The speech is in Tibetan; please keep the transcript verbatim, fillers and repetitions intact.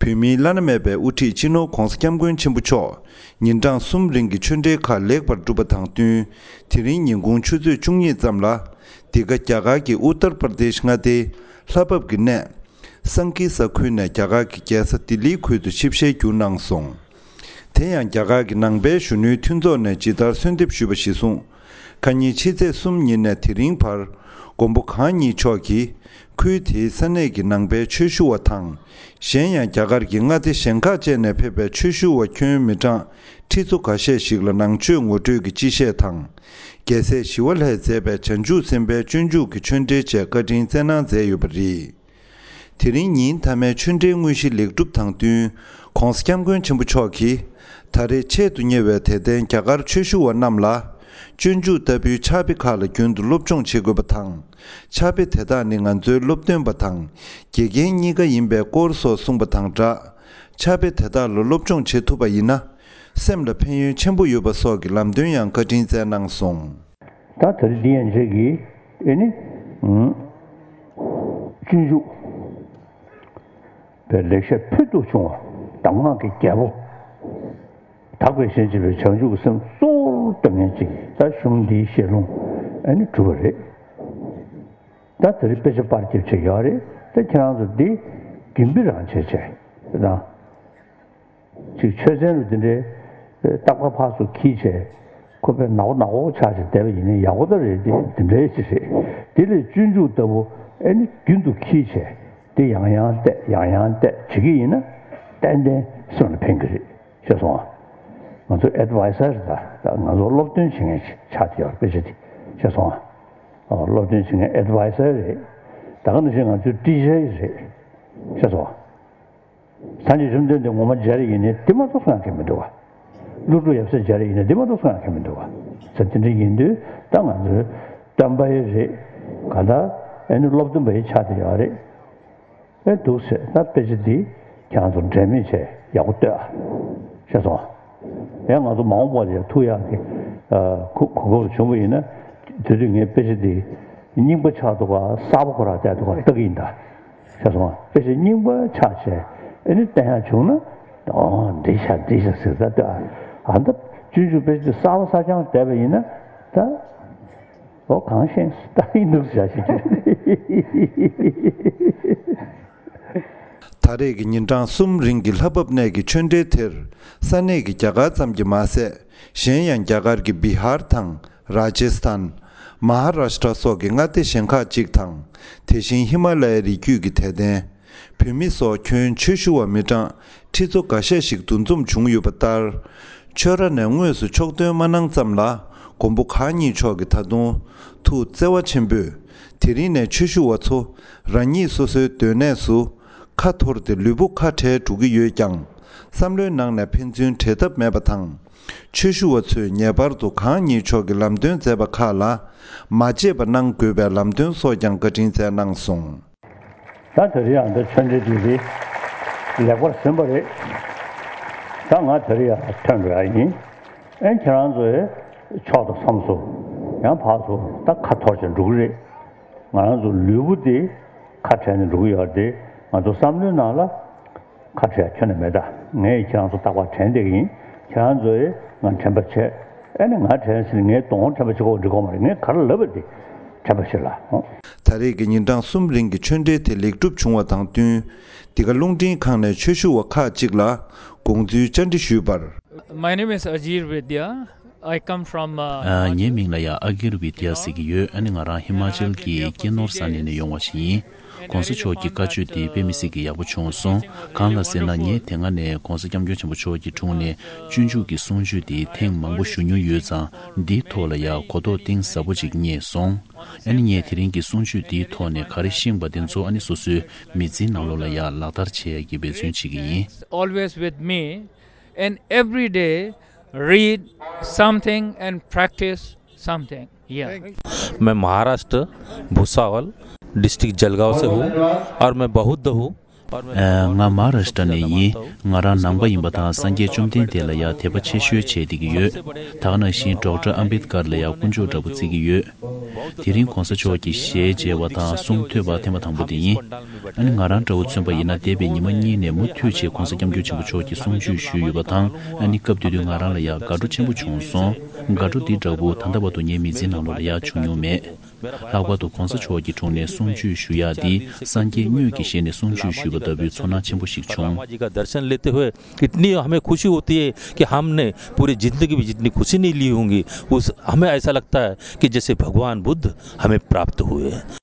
བོད་མིའི་བླ་ན་མེད་པའི་དབུ་ཁྲིད་སྤྱི་ནོར་༧གོང་ས་༧སྐྱབས་མགོན་ཆེན་པོ་མཆོག་ཉིན་གྲངས་གསུམ་རིང་གི་ཆོས་འབྲེལ་ཁག་ལེགས་པར་གྲུབ་པ་དང་བསྟུན། དེ་རིང་ཉིན་གུང་ཆུ་ཚོད་བཅུ་གཉིས་ཙམ་ལ། འདི་ག་རྒྱ་གར་གྱི་ཨུ་ཏར་པར་དེཤ་མངའ་སྡེའི་ལྷ་བབས་ཀྱི་གནས། སང་ཀི་ས་ཁུལ་ནས་རྒྱ་གར་གྱི་རྒྱལ་ས་ལྡི་ལིའི་ཁུལ་དུ་ཆིབས་ཞལ་བསྒྱུར་གནང་སོང་། དེ་ཡང་རྒྱ་གར་གྱི་ནང་པའི་གཞོན་ནུའི་མཐུན་ཚོགས་ནས་ཇི་ལྟར་གསོལ་འདེབས་ཞུས་པ་གཞིར་བཟུང་། ཁ་ཉིན་ཕྱི་ཚེས་གསུམ་ཉིན་ནས་དེ་རིང་བར། མགོན་པོ་གང་ཉིད་མཆོག་གིས། ཁུལ་དེའི་ས་གནས་ཀྱི་ནང་པའི་ཆོས་ཞུ་བ་དང་། གཞན་ཡང་རྒྱ་གར་གྱི་མངའ་སྡེ་གཞན་ཁག་བཅས་ནས་ཕེབས་པའི་ཆོས་ཞུ་བ་ཁྱོན་མི་གྲངས་ཁྲི་ཚོ་འགའ་ཤས་ཤིག་ལ་ནང་ཆོས་ངོ་སྤྲོད་ཀྱི་སྤྱི་བཤད་དང་། རྒྱལ་སྲས་ཞི་བ་ལྷས་མཛད་པའི་བྱང་ཆུབ་སེམས་དཔའི་སྤྱོད་འཇུག་གི་ཆོས་འབྲེལ་བཅས་བཀའ་དྲིན་སྩལ་གནང་མཛད་ཡོད་པ་རེད། དེ་རིང་ཉིན་མཐའ་མའི་ཆོས་འབྲེལ་དངོས་གཞི་ལེགས་གྲུབ་དང་བསྟུན། ྋགོང་ས་ྋསྐྱབས་མགོན་ཆེན་པོ་མཆོག་གིས། ད་རེས་ཆེད་དུ་གཉེར་བའི་དད་ལྡན་རྒྱ་གར་ཆོས་ཞུ་བ་རྣམས་ལ། སྤྱོད་འཇུག་ལྟ་བུའི་ཕྱག་དཔེ་ཁག་ལ་རྒྱུན་དུ་སློབ་སྦྱོང་བྱེད་དགོས་པ་དང་། ཕྱག་དཔེ་དེ་དག་ནི་ང་ཚོའི་སློབ་སྟོན་པ་དང་། དགེ་རྒན་གཉིས་ཀ་ཡིན་པའི་སྐོར་སོགས་གསུངས་པ་དང་སྦྲགས། ཕྱག་དཔེ་དེ་དག་ལ་སློབ་སྦྱོང་བྱེད་ཐུབ་པ་ཡིན་ན། སེམས་ལ་ཕན་ཡོན་ཆེན་པོ་ཡོད་པ་སོགས་ཀྱི་ལམ་སྟོན་ཡང་བཀའ་དྲིན་སྩལ་གནང་སོང་། ད་དེ་རིང་འདི་ཡན་ཆད་ཀྱིས་ཨེ་ནི། ཨུམ། སྤྱོད་འཇུག་པའི་ལེགས་བཤད་ཕུལ་དུ་བྱུང་བ། གདམས་ངག་གི་རྒྱལ་པོ། དག་པའི་ཞེན་བྱེད་པའི་བྱང་ཆུབ་ཀྱི་སེམས་གཙོ་བོར་སྟོན་མཁན་ཅིག་ད་གཞུང་འདིའི་ཞལ་ལུང་ཨེ་ནི་གྲུབ་པ་རེད། ད་དེ་རིང་དཔེ་ཆ་པར་རྒྱབ་བྱས་ཡོད་རེད། ད་ཁྱེད་རང་ཚོ་འདི་རྒྱུན་སྤེལ་རང་བྱས་བྱས་ད། ཅིག་ཆོས་ཚན་རུ་འདི་འདྲའི་རྟག་པར་ཕར་ཚུར་འཁྱེར་བྱས། ཁོ་པས་ནག་པོ་ནག་པོ་ཆགས་བྱས་བསྡད་པ་ཡིན་ན་ཡག་པོ་ད་རེད། དེ་འདི་འདྲའི་ཅིག་རེད། དེ་ལས་སྤྱོད་འཇུག་ལྟ་བུ་ཨེ་ནི་རྒྱུན་དུ་འཁྱེར་བྱས་དེ་ཡང་ཡང་བལྟས་ཡང་ཡང་བལྟས་བྱེད་ཀྱི་ཡིན་ན་ཏན་ཏན་སེམས་ལ་ཕན་གྱི་རེད། ཤེས་སོང་ཨ། ང་ཚོ་ཨེ་ཌི་ཝའི་ཟར་དང་ང་ཚོ་སློབ་སྟོན་བྱེད་མཁན་ཆགས་བསྡད་ཡོད་རེད། དཔེ་ཆ་དེ་ཤེས་སོང་ཨ། སློབ་སྟོན་བྱེད་མཁན་ཨེ་ཌི་ཝའི་ཟར་རེད། ད་ག་ནང་བཞིན་ང་ཚོའི་ཊི་ཅར་རེད། ཤེས་སོང་ཨ། ད་ནི་རིམ་བདུན་དེ་ངོ་མ་སྦྱར་ཡིན་ནའི་དེ་མ་གཏོགས་སུ་ཡང་གང་མི་འདུག་བ། ཀླུ་སྒྲུབ་ཡབ་སྲས་སྦྱར་ཡིན་ནའི་དེ་མ་གཏོགས་སུ་ཡང་གང་མི་འདུག་བ། ཟེར་དེ་འདྲ་ཡིན་དུས་ད་ང་ཚོའི་སྟོན་པ་ཡི་རེད། ག་ད་ཨེ་ནི་སློབ་སྟོན་པ་ཡི་ཆ་དེ་ཡོད་རེད། ཨེ་འདུག་ཟེར་ད་དཔེ་ཆ་འདི་ཁྱེད་རང་ཚོ་འབྲལ་མེད་བྱས་ཡག་པོ་ལྟོས་ཨ། ཤེས་སོང་ཨ། ཡང་ང་ཚོ་མ་འོངས་པ་ལ་ཡང་ཐུག་ཡག་གི་གོ་སྐབས་བྱུང་བ་ཡིན་ན་དེ་དུས་ངས་དཔེ་ཆ་འདི་རྙིང་པ་ཆགས་འདུག་ག་གསར་པ་ཁོ་རང་བལྟས་འདུག་ག་ལྟ་གི་ཡིན་ད། ཤེས་སོང་ཨ། དཔེ་ཆ་རྙིང་པ་ཆགས་བྱས་ཨེ་ནི་བསྟན་ཡག་བྱུང་ན། ཨོ་འགྲིག་ཤག་འགྲིག་ཤག་ཟེར་ད་ལྟོས་ཨ། ཨ་ད་སྤྱོད་འཇུག་དཔེ་ཆ་འདི་གསར་པ་གསར་རྐྱང་བལྟས་པ་ཡིན་ན་ད། ཨོ་གང་ཤེས་ད་ཡིན་འདུག་ཟེར་ཞིག་གིས། ད་རེས་ཀྱི་ཉིན་གྲངས་གསུམ་རིང་གི་ལྷ་བབས་གནས་ཀྱི་ཆོས་འབྲེལ་དེར་ས་གནས་ཀྱི་རྒྱ་གར་ཙམ་གྱིས་མ་ཟད། གཞན་ཡང་རྒྱ་གར་གྱི་བི་ཧར་དང་རཱ་ཇེ་སི་ཐན། མ་ཧཱ་རཱ་ཤི་ཏྲ་སོགས་ཀྱི་མངའ་སྡེ་གཞན་ཁག་ཅིག་དང་། དེ་བཞིན་ཧི་མ་ལ་ཡའི་རི་རྒྱུད་ཀྱི་དད་ལྡན། བོད་མི་སོགས་ཁྱོན་ཆོས་ཞུ་བ་མི་གྲངས་ཁྲི་ཚོ་འགའ་ཤས་ཤིག་འདུ་འཛོམས་བྱུང་ཡོད་པ་ལྟར། ཆོས་ར་ནས་དངོས་སུ་ཕྱོགས་སྟོན་མ་གནང་ཙམ་ལ། མགོན་པོ་གང་ཉིད་མཆོག་གིས་ད་དུང་ཐུགས་བརྩེ་བ་ཆེན་པོས། དེ་རིང་ནས་ཆོས་ཞུ་བ་ཚོ་རང་ཉིད་སོ་སོའི་སྡོད་གནས་སུ་ཁ་འཐོར་ཏེ་ལུས་པོ་ཁ་བྲལ་འགྲོ་གི་ཡོད་ཀྱང་། བསམ་བློའི་ནང་ནས་ཕན་ཚུན་བྲལ་ཐབས་མེད་པ་དང་། ཆོས་ཞུ་བ་ཚོས་ངེས་པར་དུ་གང་ཉིད་མཆོག་གིས་ལམ་སྟོན་མཛད་པ་ཁག་ལ་མ་བརྗེད་པ་གནང་དགོས་པའི་ལམ་སྟོན་སོགས་ཀྱང་བཀའ་དྲིན་སྩལ་གནང་སོང་། ད་དེ་རིང་ཡང་འདི་ཆོས་འབྲེལ་འདི་རེད། ལེགས་པར་ཟིན་པ་རེད། ད་ང་དེ་རིང་ཡང་ཐོན་འགྲོ་ཡ་ཡིན། ཨེ་ཁྱེད་རང་ཚོའི་ཕྱོགས་དང་མཚམས་སུ་ཡང་ཕར་ཚུར་ད་ཁ་འཐོར་བྱས་འགྲོ་གི་རེད། ང་རང་ཚོ་ལུས་པོ་འདི་ཁ་བྲལ་ནས་འགྲོ་གི་ཡོད་རེད་དེ། ང་ཚོ་བསམ་བློའི་ནང་ལ་ཁ་བྲལ་ཁྱོན་ནས་མེད། ད་ངས་ཁྱེད་རང་ཚོ་རྟག་པར་དྲན་བསྡད་ཀྱི་ཡིན། ཁྱེད་རང་ཚོས་ང་དྲན་པ་བྱས། ཨེ་ནི་ང་དྲན་ཟིན་ངའི་གདོང་དྲན་པ་བྱེད་དགོས་འགྲིག་གོ་མ་རེད། ངས་ག་རེ་ལབ་པ་དེ་དྲན་པ་བྱེད་ལ། ད་རེས་ཀྱི་ཉིན་གྲངས་གསུམ་རིང་གི་ཆོས་འབྲེལ་དེ་ལེགས་གྲུབ་བྱུང་བ་དང་བསྟུན། འདི་ག་རླུང་འཕྲིན་ཁང་ནས་ཆོས་ཞུ་བ་ཁག་ཅིག་ལ་དགོངས་ཚུལ་བཅར་འདྲི་ཞུས་པར། My name is Ajir Vidya. I come from, uh, ཨ། ངའི་མིང་ལ་ཡང་ཨ་གིར་བི་དྷྱ་ཟེར་གྱི་ཡོད། ཨ་ནི་ང་རང་ཧི་མ་ཅལ་གྱི་ཀེ་ནོར་ས་གནས་ནས་ཡོང་བ་ཞིག་ཡིན། ྋགོང་ས་མཆོག་གི་བཀའ་ཆོས་འདི་དཔེ་མི་སྲིད་ཀྱི་ཡག་པོ་བྱུང་སོང་། གང་ལ་ཟེར་ན་ངས་དེ་སྔ་ནས་ྋགོང་ས་ྋསྐྱབས་མགོན་ཆེན་པོ་མཆོག་གི་དྲུང་ནས་སྤྱོད་འཇུག་གི་གསུང་ཆོས་འདི་ཐེངས་མང་པོ་ཞུ་མྱོང་ཡོད་ཙང་། འདིའི་ཐོག་ལ་ཡང་གོ་རྟོགས་གཏིང་ཟབ་པོ་ཅིག་རྙེད་སོང་། ཨ་ནི་ངས་དེ་རིང་གི་གསུང་ཆོས་འདིའི་ཐོག་ནས་ག་རེ་ཤེས་པ་དེ་ཚོ་ཨ་ནི་སོ་སོའི་མི་ཚེའི་ནང་ལོགས་ལ་ཡང་ལག་བསྟར་བྱེད་ཡ་གི་འབད་བརྩོན་བྱེད་ཀྱི་ཡིན། Always with me, and every day read something and practice something. Yeah. मैं महाराष्ट्र भुसावल डिस्ट्रिक्ट जलगांव से हूँ और मैं बौद्ध हूँ। ཨ། ང་མ་ཧཱ་རཱ་ཤི་ཏྲ་ནས་ཡིན། ང་རང་ནང་པ་ཡིན་པ་དང་སངས་རྒྱས་བཅོམ་ལྡན་འདས་ལ་ཡང་དད་པ་ཆེ་ཤོས་བྱས་བསྡད་ཀྱི་ཡོད། ད་ག་ནང་བཞིན་ཌོག་ཊར་ཨམ་བེད་ཀར་ལ་ཡང་དཀོན་མཆོག་འདྲ་པོ་བརྩི་གི་ཡོད། དེ་རིང་གོང་ས་མཆོག་གི་ཞལ་མཇལ་བ་དང་གསུང་ཐོས་པ་ཐེངས་མ་དང་པོ་དེ་ཡིན། ཨ་ནི་ང་རང་འདྲ་བོ་མཚོན་པ་ཡིན་ན་འདས་པའི་ཉི་མ་གཉིས་ནས་མུ་མཐུད་བྱས་གོང་ས་སྐྱབས་མགོན་ཆེན་པོ་མཆོག་གི་གསུང་ཆོས་ཞུས་ཡོད་པ་དང་། ཨ་ནི་སྐབས་དེ་དུས་ང་རང་ལ་ཡང་དགའ་སྤྲོ་ཆེན་པོ་བྱུང་སོང་། དགའ་སྤྲོ་འདི་འདྲ་བོ་ད་ལྟ་བར་དུ་ངའི་མི་ཚེའི་ནང་ལོགས་ལ་ཡང་བྱུང་མྱོང་མེད། ལྷག་པར་དུ་གོང་ས་མཆོག་གི་དྲུང་ནས་གསུང་ཆོས་ཞུ་ཡག་འདི་སངས་རྒྱས་དངོས་ཀྱི་ཞལ་ནས་གསུང་ཆོས་ཞུས་པ་ལྟ་བུའི་ཚོར་སྣང་ཆེན་པོ་ཞིག་བྱུང་། परमा जी का दर्शन लेते हुए इतनी हमें खुशी होती है कि हमने पूरी जिंदगी भी जितनी खुशी नहीं ली होंगी, उस, हमें ऐसा लगता है कि जैसे भगवान बुद्ध हमें प्राप्त हुए हैं।